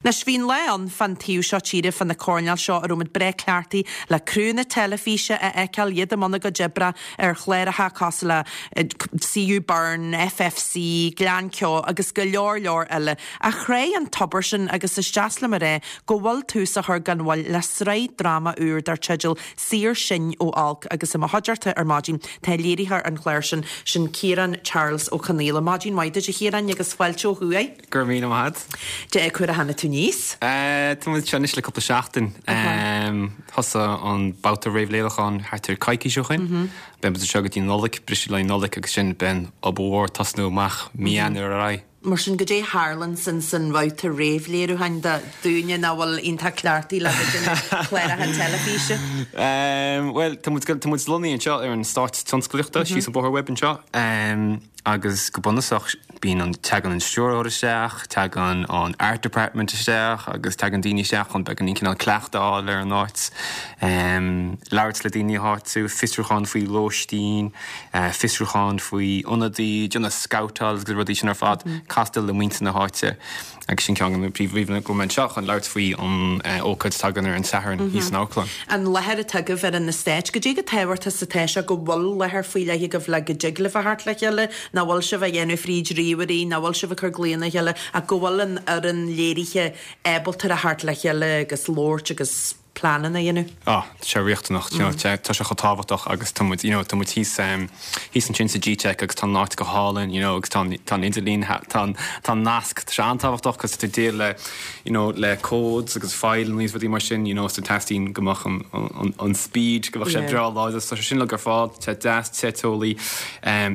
Anois, bhí an lá ann fán taobh seo tíre, fá na coirnéil seo, a raibh muid breá cleachtaithe le criúnna teilifíse a fheiceáil, iad i mbun a gcuid oibre ar chláracha cosúil le CU Burn, FFC, Gleann Ceo agus go leor leor eile. Ach chráigh an tobar sin agus is deas liom a rá go bhfuil tús á chur gan mhoill le sraith dráma úr dar teideal Saor Sinn ó Olc agus i mo chuideachta ar maidin tá léiritheoir an chláir sin, sin Ciarán Charles Ó Conaola. Maidin mhaith duit a Chiaráin agus fáilte ó thuaidh. Go raibh míle maith agat. Dé cá huair a tháinig tú aníos? Tá muid anseo anois le cúpla seachtain. Thosaigh an babhta réamhléiriúcháin thart ar coicís ó shin. Beidh muid anseo go dtí Nollaig, briseadh le Nollaig agus ansin beidh an obair mhór ag tosnú amach mí Eanáir ar aghaidh. Mar sin, goidé a tharlann san san bhabhta réamhléiriúcháin do dhúinne nach bhfuil iontach cleachtaithe le bheith ag déanamh cláracha teilifíse? Bhuel, tá muid tá muid lonnaithe anseo ar an eastát tionsclaíochta síos an bóthar uaibh anseo agus go bunúsach bíonn an teagann an stiúrthóir isteach, teagann an art department isteach agus teagann daoine isteach chun beagáinín cineál cleachtadh a fháil ar an áit, labhairt le daoine áitiúil, fiosrúchán faoi lóistín. fiosrúchán faoi ionadaí, déanamh scabhtáil agus rudaí sin ar fad, castáil le muintir na háite agus sin ceann de na príomhphríomhanna go bhfuil mé anseo chun labhairt faoi an ócáid atá againn ar an Satharn thíos san amharclann. An láthair atá agaibh ar an eastát, goidé chomh tábhachtach is atá sé go bhfuil láthair faoi leith agaibh le go dtig libh a theacht le chéile, nach bhfuil sibh á dhéanamh fríd ríomhairí, nach bhfuil sibh ag cur glaonna a chéile ach go bhfuil an fhoireann léirithe ábalta a theacht le chéile agus labhairt agus. pleananna a dhéanamh. Ah, tá sé riachtanach, you know, tá sé chomh tábhachtach agus tá muid, you know, tá muid thíos, thíos ansin sa G-Tech agus tá an áit go hálainn, you know, agus tá an, tá an idirlíon, tá an, tá an nasc, tá sé an-tábhachtach cos tá tú ag déileáil le, you know, le codes agus fileanna agus rudaí mar sin, you know, so teastaíonn go mbeadh an, an, an speed, go mbeadh sé breá láidir, so tá sé sin uilig ar fáil, tá sé deas, te teolaí,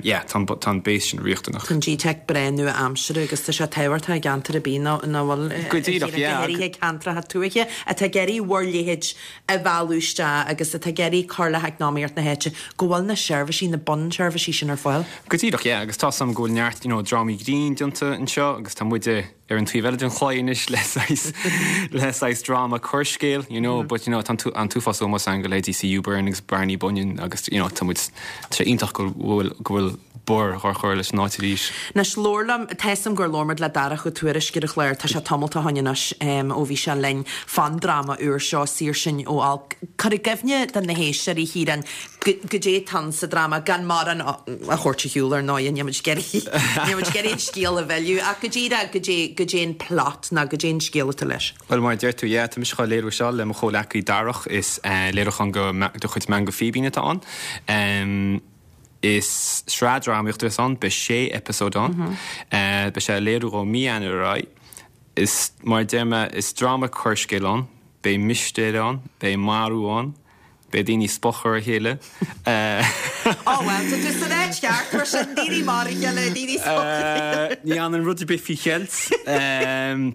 yeah, tá an, tá an base sin riachtanach. Tá an G-Tech breá nua-aimseartha agus tá sé tábhachtach i gceantar ar bith nach bhfuil, Go díreach, yeah. go háirithe ceantracha tuaithe. atá ag iarraidh bhur leithéid a mhealladh isteach agus atá ag iarraidh cur le heacnamaíocht na háite, go bhfuil na seirbhísí, na bunseirbhísí sin ar fáil. Go díreach, yeah, agus tá 's agam go bhfuil neart, you know, drámaí grinn déanta anseo agus tá muide ar an taobh eile den chlaí anois le saghas, le saghas dráma coirscéil, you know, but, you know, tá an t-uafás ómós againn do leithéidí CU Burn agus Barney Bunyan agus, you know, tá muid, tá sé iontach go bhfuil, go bhfuil, borradh á chur leis an áit arís. Anois, labhair liom, tá 'fhios a'm gur labhair muid le Darach Ó Tuairisg ar an chlár, tá sé tamalt ó shoin anois ó bhí sé linn fán dráma úr seo, Saor Sinn ó Olc. Cuir i gcuimhne do na héisteoirí, a Chiaráin, goidé atá ann sa dráma, gan mórán a thabhairt ar shiúl ar ndóigh, níl muid ag iarraidh, níl muid ag iarraidh an scéal a mhilleadh, ach go díreach, goidé, goidé an plot nó goidé an scéal atá leis. Bhuel, mar a deir tú, yeah, tá mise dhá léiriú seo le mo chomhleacaí Darach, is léiriúchán de chuid Meangadh Fíbín atá ann. Is sraith drámaíochta a bheas ann, beidh sé eipeasóid ann. Beidh sé á léiriú ó mí Eanáir ar aghaidh. Is, mar a deir mé, is dráma coirscéil ann, beidh mistéir ann, beidh marú ann, beidh daoine ag spochadh ar a chéile. Ó bhuel, tá tú san áit cheart mar sin, daoine ag marú a chéile, daoine ag spochadh ar a chéile. Ní fhanann rud ar bith faoi cheilt.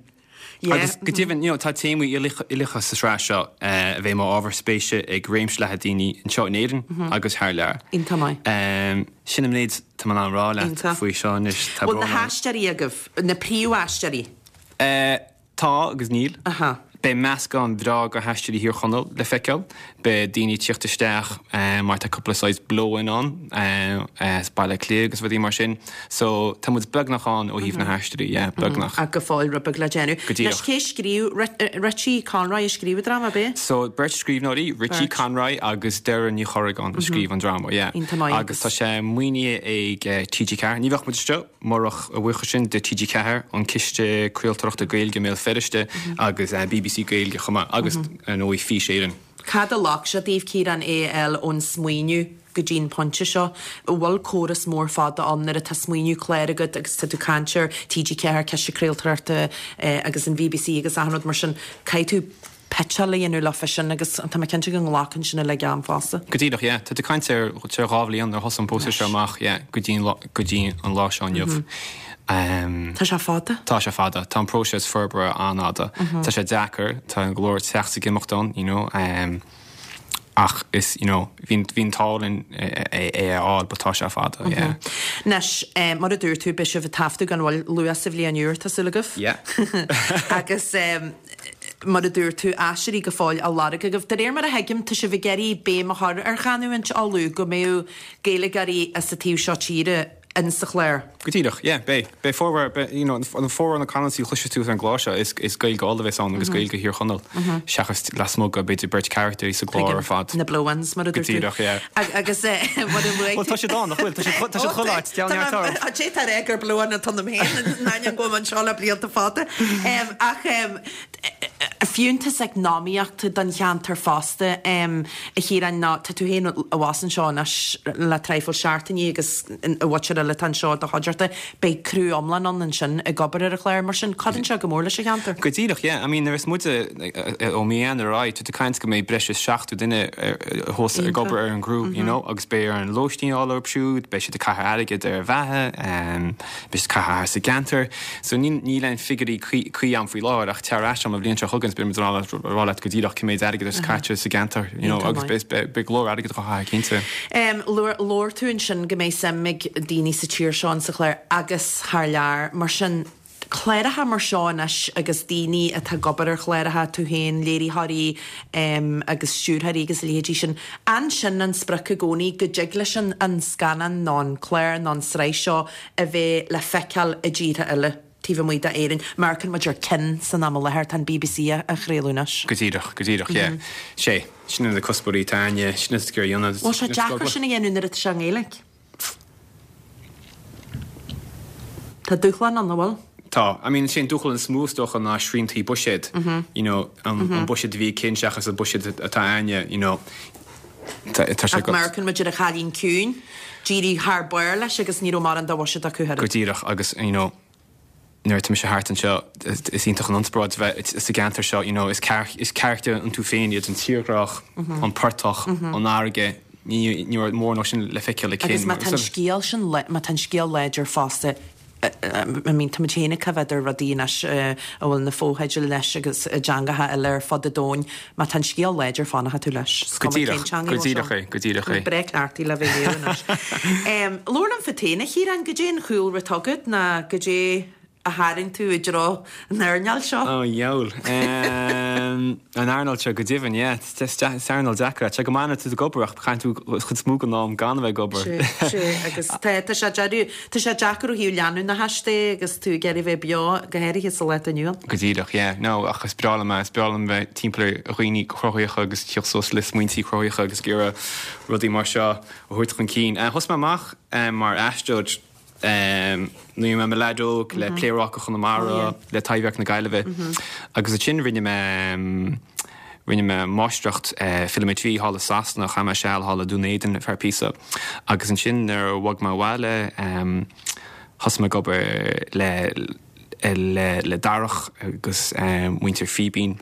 Agus go deimhin, you know, tá téamaí uilíocha sa tsraith seo a bheidh mar ábhar spéise ag réimse leathan daoine anseo in Éirinn agus thar lear. Iontach maith. Sin an méid tá mé in ann a rá leat faoi seo anois. Tá brón orm. Bhfuil na haisteoirí agaibh, na príomhaisteoirí? Tá agus níl. Beidh meascán breá de haisteoirí Thír Chonaill le feiceáil. Beidh daoine ag tíocht isteach mar tá cúpla saghas blow-in ann as Baile Átha Cliath agus rudaí mar sin. So tá muid beagnach ann ó thaobh na haisteoirí, yeah, beagnach. Ach go fóill rud beag le déanamh. Go díreach. Anois cé scríobh, Richie Conroy a scríobh an dráma, ab é? So beirt scríbhneoirí, Richie Conroy agus Doireann Ní Chorragáin a scríobh an dráma, yeah. Iontach maith. Agus tá sé maoinithe ag TG4. Ní bheadh muid anseo. Murach a bhuíochas sin do TG4, an Ciste Craoltóireachta Gaeilge i mBéal Feirste agus bbc Gaeilge chomh maith agus ar ndóigh Fís Éireann. Cad a ghlac sé daoibh, Ciarán, é a fháil ón smaoineamh go dtí an pointe seo? An bhfuil córas mór fada ann nuair atá smaoineamh cláir agat agus tá tú ag caint ar TG4, Ciste Craoltóireachta agus an bbc agus achan rud mar sin, caithfidh tú pitseáil a dhéanamh leofa sin agus tá mé cinnte go nglacann sin uilig am fosta. Go díreach, yeah. Tá tú ag caint ar ar 2 bhliain nuair a thosaigh an próiseas seo amach, yeah, go dtí an lá, go dtí an lá seo inniu. Tá sé fada. Tá sé fada. Tá an próiseas forbartha an-fhada. Tá sé deacair, tá go leor teacht ag imeacht ann, you know. Ach is, you know, bhí bhí an t-ádh linn é a fháil but tá sé fada, yeah. Anois, mar a dúirt tú, beidh sibh ag taifeadadh gan mhoill luath sa bhliain úr, tá súil agaibh? Yeah. Agus mar a dúirt tú, aisteoirí go fóill á lorg agaibh. De réir mar a thuigim, tá sibh ag iarraidh béim a chur ar chanúint Uladh, go mbeadh Gaeilgeoirí as an taobh seo tíre. in sa chlár. Go díreach, yeah, beidh. Beidh formhór, beidh, you know, an formhór na canúintí a chloisfidh tú ar an gclár seo, is, is Gaeilge Uladh a bheas ann agus Gaeilge Thír Chonaill, seachas lasmuigh de b'fhéidir beirt characters sa gclár ar fad. Na blue ones, mar a dúirt tú. Go díreach, yeah. Agus mar a luaigh tú. Bhuel, tá siad ann, nach bhfuil? Tá siad, tá siad chuile áit, déan neart orm. Tá sé tar éis gur blue one atá ionam féin, in ainneoin go bhfuil mé anseo le blianta fada. Ach Fiúntas eacnamaíochta don cheantar fosta, a Chiaráin, ná tá tú féin abhus anseo anois le traidhfil seachtainí agus an mhuintir eile atá anseo i do chuideachta, beidh criú iomlán ann ansin ag obair ar an chlár. Mar sin, cuireann sé go mór leis an cheantar. Go díreach, yeah. I mean, nuair is muide ó mí Eanáir ar aghaidh, tá tú ag caint go mbeidh breis is 70 duine thuas ag obair ar an gcriú, you know, agus beidh orainn lóistín a fháil orthu siúd, beidh siad ag caitheamh airgid ar bheatha, beidh siad ag caitheamh thart sa gceantar. So níl aon figiúirí cuí agam faoi láthair ach tar ar ais agam an bhliain seo chugainn is beidh muid in ann a rá leat go díreach cé méid airgid atá caite sa gceantar you know agus beidh go leor airgid á chaitheamh cinnte. Labhair tú ansin go mbeidh suim ag daoine sa tír seo in sa chlár agus thar lear. Mar sin, cláracha mar seo anois agus daoine atá ag obair ar chláracha, tú féin, léiritheoirí agus stiúrthóirí agus a leithéidí sin, an sin an sprioc i gcónaí go dtig leis an scannán nó an clár nó an tsraith seo a bheith le feiceáil i dtíortha eile taobh amuigh d'Éirinn. Mar amharcann muid ar Kin san am i láthair, tá an BBC á chraoladh anois. Go díreach, go díreach, yeah. Sé, sin iad na cuspóirí atá againne, sin iad gur dhéanamh. Bhfuil sé deacair sin a dhéanamh nuair atá sé i nGaeilge? Tá dúshlán ann, an bhfuil? Tá. I mean, sé an dúshlán is mó is dócha ná sriantaí buiséid. You know, an buiséad a bhí ag Kin seachas an buiséad atá againne, you know. Tá sé Ach má amharcann muid ar An Cailín Ciúin, d'éirigh thar barr leis agus ní raibh mórán de bhuiséad acu oiread. Go díreach agus, you know, nuair atá mise thart anseo, is iontach an inspioráid a bheith sa gceantar seo, you know, is is carachtair iontu féin iad an tírdhreach, an portach, an fharraige, ní raibh mórán sin le feiceáil i Kin. Agus má tá an scéal sin, má tá an scéal láidir fosta, I mean, tá muid féin ag coimhéad ar rudaí anois a bhfuil na fotheidil leis agus i dteangacha eile ar fud an domhain. Má tá an scéal láidir, fanfaidh tú leis. Is cuma cén teanga Go díreach é, go díreach é. Breá cleachtaithe le bheith ag léamh anois. Labhair liom fút féin, a Chiaráin, goidé an chúlra atá agat ná goidé a tharraing tú i dtreo an earnáil seo? Ó, dheabhail. An earnáil seo, go deimhin, yeah. Is earnáil deacair é. Tá sé go maith nuair atá tú ag obair ach caitheann tú an chuid is mó den am gan a bheith ag obair. Sea, sea, agus tá, tá sé deireadh, tá sé deacair ó thaobh leanúnachais de agus tú ag iarraidh bheith beo, go háirithe sa lá atá inniu ann. Go díreach, yeah. No, ach is breá liom é, is breá liom bheith timpeall ar dhaoine cruthaitheacha agus tíocht suas le smaointí cruthaitheacha agus ag iarraidh rudaí mar seo a thabhairt chun cinn. Thosaigh mé amach mar aisteoir Nuair a bhí mé i mo leaid óg le Pléaráca Chonamara, le Taibhdhearc na Gaillimhe agus ansin rinne mé rinne mé máistreacht Filiméitrí thall i Sasana, chaith mé seal thall i Dún Éideann ar feadh píosa agus ansin nuair a bhog mé abhaile thosaigh mé ag obair le le le Darach agus muintir Fíbín.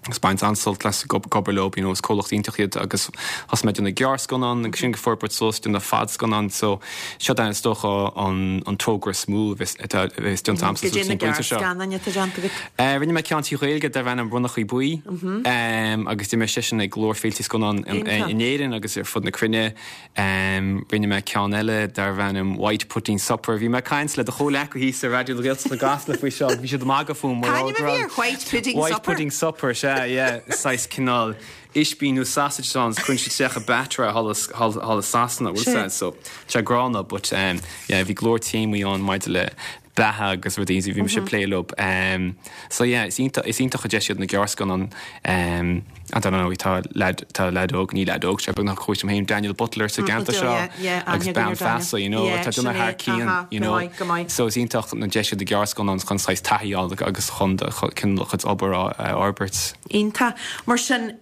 agus baint an-sult as ag obair leo, you know, is comhlacht iontach iad agus thosaigh mé ag déanamh gearrscannán agus sin ag forbairt suas déanamh fadscannán so seo é is dócha an an togra is mó a bheas atá a bheas déanta agamsa Goidé na gearrscannáin atá déanta agat? Eh rinne mé ceann trí Ghaeilge darbh ainm Ronnachaí Buí agus d'imir seisean ag go leor féiltí scannán in Éirinn agus ar fud na cruinne. Rinne mé ceann eile darbh ainm White Pudding Supper. Bhí mé ag caint le do chomhleacaí thíos ar Raidió na Gaeltachta i gCasla faoi seo. Bhí siad ag magadh fúm mar C'ainm a bhí ar White Pudding White Supper? Pudding Supper, sea, yeah. Saghas cineál ispín nó sausage atá ann, cuireann siad isteach i batter é thall i Sasana, bhfuil 's a'd, so tá sé gránna but yeah bhí go leor téamaí ann maidir le beatha agus rudaí bhí mise ag plé leo. So yeah, is iontach, is iontach an deis iad na gearrscannáin. I don't know, tá leaid, tá leaid óg, ní leaid óg, sé beagnach comhaois liom féin, Daniel Butler sa gceantar seo agus bean feasa, you know, atá ag déanamh thar cionn, you know. So is iontach an deis iad na gearrscannáin chun saghas taithí a fháil agus chun do chuid obair a fhorbairt. Iontach. Mar sin,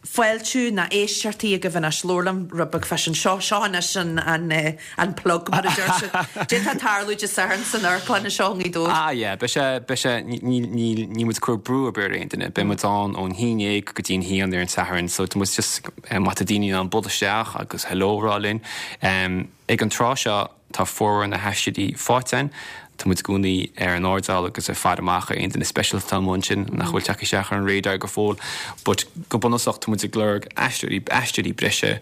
fáiltiú ná éisteachtaí agaibh anois, labhair liom rud beag fá sin. Seo, seo anois an, an, an plug mar a deir siad. Cad é atá ag tarlú Dé Sathairn san amharclann anseo i nGaoth Dobhair. Ah yeah, beidh sé, beidh sé, ní, ní, ní, níl muid ag cur brú ar bith ar aon duine. Beidh muid ann ón 11 go dtí an haon ar an Satharn, so tá muid just, má tá daoine in ann bualadh isteach agus hello a rá linn. Ag an tráth seo, Tá formhór na haisteoirí faighte againn. Tá muid i gcónaí ar an airdeall agus ag faire amach ar aon duine speisialta atá amuigh ansin nach bhfuil tagtha isteach ar an radar go fóill. But go bunúsach tá muid ag lorg aisteoirí, aisteoirí breise.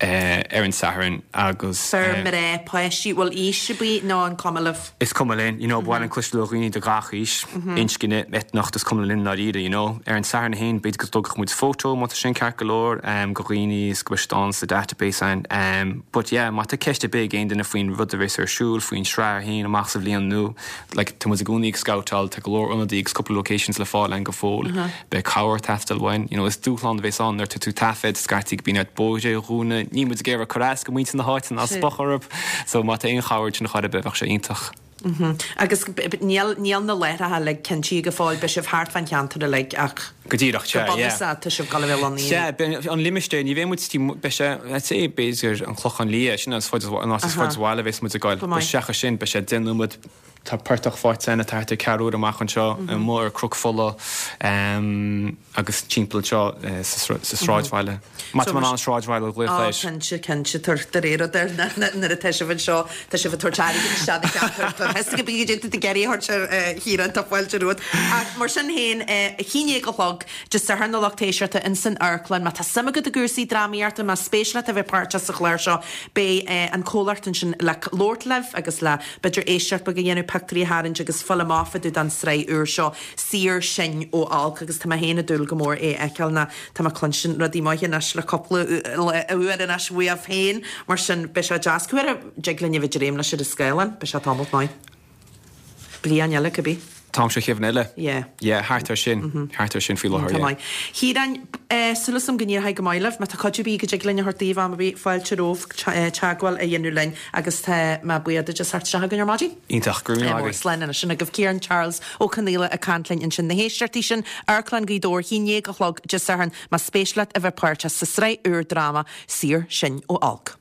Ar an Satharn agus. Fir, mná, páistí, bhfuil aois ar bith nó an cuma libh? Is cuma linn, you know, ba mhaith linn cloisteáil ó dhaoine de gach aois, inscne, eitneacht, is cuma linn i ndáiríre, you know. Ar an Satharn féin, b'fhéidir go dtógfadh muid photo, má tá sin ceart go leor, go dhaoine is go mbeidh siad ann sa database ann. But yeah, má tá ceist ar bith ag aon duine faoin rud a bheas ar siúl, faoin sraith féin amach sa bhliain nua, like, tá muid i gcónaí ag scabhtáil, tá go leor ionadaí agus cúpla locations le fáil ann go fóill. Beidh cabhair ag teastáil uainn. You know, is dúshlán a bhéas ann nuair atá tú ag taifead, scaití go mbíonn ort bóithre a dhúnadh, níl muid ag iarraidh cur as go muintir na háite ná spochadh orthu. So má tá aon chabhair den chor ar bith bheadh sé iontach. Agus níl, níl na láithreacha uilig cinntithe go fóill, beidh sibh thart fán cheantar uilig ach Go díreach, sea, go yeah. bunúsach tá sibh ag dul a bheith lonnaithe. Sea, beidh an limistéar, ní bheidh muid, beidh sé, I'd say b'fhéidir an Clochán Liath, sin an fad is, an áit is faide ó bhaile a bheas muid ag goil. Go maith. But seachas sin, beidh sé 10 nóiméad Tá portach faighte againn atá thart ar ceathrú uaire amach anseo, amuigh ar Chnoc Fola agus timpeall anseo sa sráidbhaile. Má tá mé in ann sráidbhaile a ghlaoch air. Cinnte, cinnte, de réir rud ar nuair atá sibh anseo, tá sibh ag tabhairt airgead isteach na ceantar, tá a fhios go bíonn déanta ag iarraidh a thabhairt ar Chiarán, tá fáilte romhat. Ach mar sin féin, a haon déag a chlog Dé Sathairn a lucht éisteachta in san amharclann, má tá suim agat i gcúrsaí drámaíochta, más spéis leat a bheith páirteach sa chlár seo, beidh an comhlacht ansin le labhairt libh agus le b'fhéidir éisteacht beag a dhéanamh, pictiúirí a tharraingt agus fáil amach fá dtaobh den tsraith úr seo, Saor Sinn ó Olc agus tá mé féin ag dúil go mór é a fheiceáil nó tá mé ag cluinstin rudaí maithe anois le cúpla uair anois uaibh féin, mar sin beidh sé deas. Cá huair a dtig linn a bheith ag dréim leis ar an scáileán? Beidh sé tamalt maith. Bliain eile, cibé. T-am seo an bhliain eile. Yeah. Yeah, thart ar sin. Thart ar sin faoi láthair, yeah. Tá maith. Chiaráin, súil agam go n-éireoidh go maith libh. Má tá cuidiú ar bith go dtig linn a thabhairt daoibh am ar bith, fáilte romhaibh teagmháil a dhéanamh linn agus tá mé buíoch duit as theacht isteach chugainn ar maidin. Iontach, go raibh míle maith agat. Slán anois. Sin agaibh Ciarán Charles Ó Conaola ag caint linn ansin. Na héisteachtaí sin, Amharclann Ghaoth Dobhair, 11 a chlog Dé Sathairn, más spéis leat a bheith páirteach sa sraith úr dráma Saor Sinn ó Olc.